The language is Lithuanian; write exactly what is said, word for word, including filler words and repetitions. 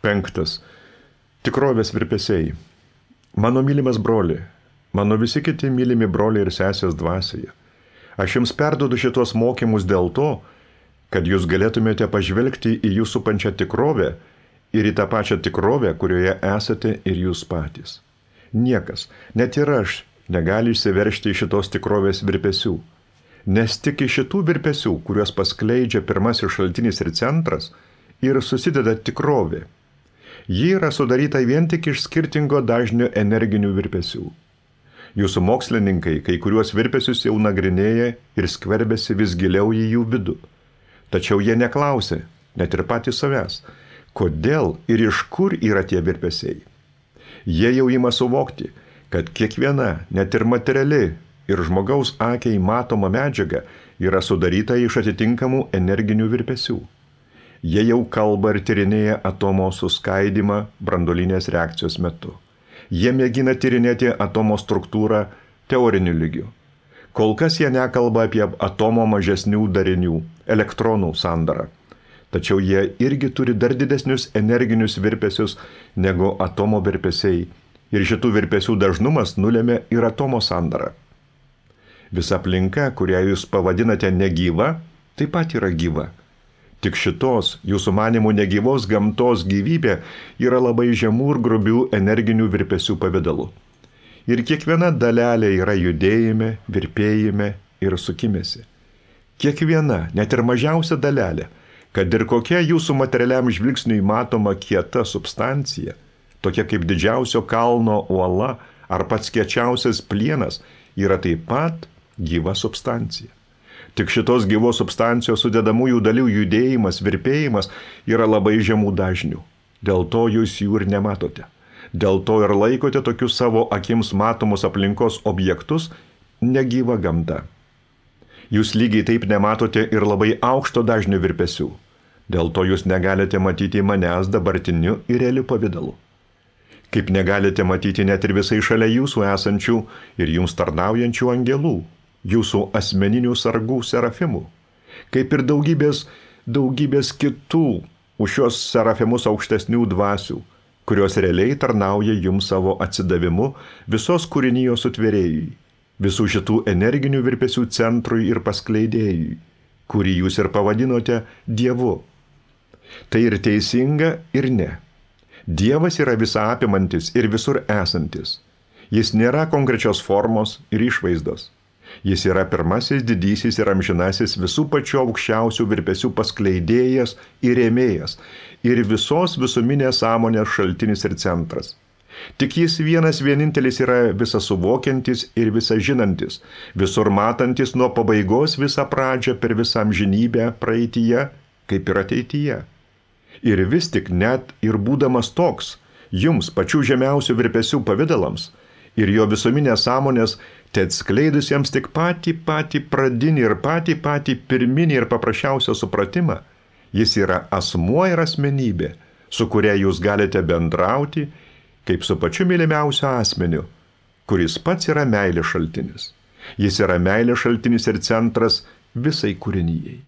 Penktas. Tikrovės virpesiai. Mano mylimas broli, mano visi kiti mylimi broliai ir sesės dvasioje. Aš jums perduodu šitos mokymus dėl to, kad jūs galėtumėte pažvelgti į jūsų supančią tikrovę ir į tą pačią tikrovę, kurioje esate ir jūs patys. Niekas, net ir aš, negali išsiveržti iš šitos tikrovės virpesių, nes tik iš šitų virpesių, kuriuos paskleidžia pirmasis šaltinis ir centras, ir susideda tikrovė. Ji yra sudaryta vien tik iš skirtingo dažnio energinių virpesių. Jūsų mokslininkai kai kuriuos virpesius jau nagrinėja ir skverbėsi vis giliau į jų vidų. Tačiau jie neklausė, net ir patys savęs, kodėl ir iš kur yra tie virpesiai. Jie jau ima suvokti, kad kiekviena, net ir materiali ir žmogaus akiai matoma medžiaga yra sudaryta iš atitinkamų energinių virpesių. Jie jau kalba ir tyrinėja atomo suskaidymą branduolinės reakcijos metu. Jie mėgina tyrinėti atomo struktūrą teoriniu lygiu. Kol kas jie nekalba apie atomo mažesnių darinių, elektronų sandarą. Tačiau jie irgi turi dar didesnius energinius virpesius negu atomo virpesiai. Ir šitų virpesių dažnumas nulėmė ir atomo sandarą. Visa aplinka, kurią jūs pavadinate negyva, taip pat yra gyva. Tik šitos, jūsų manimų negyvos gamtos gyvybė yra labai žemų ir grubių energinių virpesių pavidalu. Ir kiekviena dalelė yra judėjime, virpėjime ir sukimėsi. Kiekviena, net ir mažiausia dalelė, kad ir kokia jūsų materialiam žvilgsniui matoma kieta substancija, tokia kaip didžiausio kalno uola ar pats kiečiausias plienas, yra taip pat gyva substancija. Tik šitos gyvos substancijos sudedamųjų dalių judėjimas, virpėjimas yra labai žemų dažnių. Dėl to jūs jų ir nematote. Dėl to ir laikote tokius savo akims matomus aplinkos objektus negyva gamta. Jūs lygiai taip nematote ir labai aukšto dažnio virpesių. Dėl to jūs negalite matyti manęs dabartiniu ir realiu pavidalu. Kaip negalite matyti net ir visai šalia jūsų esančių ir jums tarnaujančių angelų, jūsų asmeninių sargų serafimų, kaip ir daugybės, daugybės kitų už šios serafimus aukštesnių dvasių, kurios realiai tarnauja jums savo atsidavimu visos kūrinijos sutvėrėjui, visų šitų energinių virpesių centrui ir paskleidėjui, kurį jūs ir pavadinote Dievu. Tai ir teisinga, ir ne. Dievas yra visa apimantis ir visur esantis. Jis nėra konkrečios formos ir išvaizdos. Jis yra pirmasis, didysis ir amžinasis visų pačių aukščiausių virpesių paskleidėjas ir rėmėjas ir visos visuminės sąmonės šaltinis ir centras. Tik jis vienas vienintelis yra visa suvokiantis ir visa žinantis, visur matantis nuo pabaigos visą pradžią per visą amžinybę praeityje, kaip ir ateityje. Ir vis tik net ir būdamas toks, jums pačių žemiausių virpesių pavidalams ir jo visuminės sąmonės, te atskleidusiems tik patį patį pradinį ir patį patį pirminį ir paprasčiausią supratimą, jis yra asmuo ir asmenybė, su kuria jūs galite bendrauti, kaip su pačiu mylimiausiu asmeniu, kuris pats yra meilės šaltinis. Jis yra meilės šaltinis ir centras visai kūrinijai.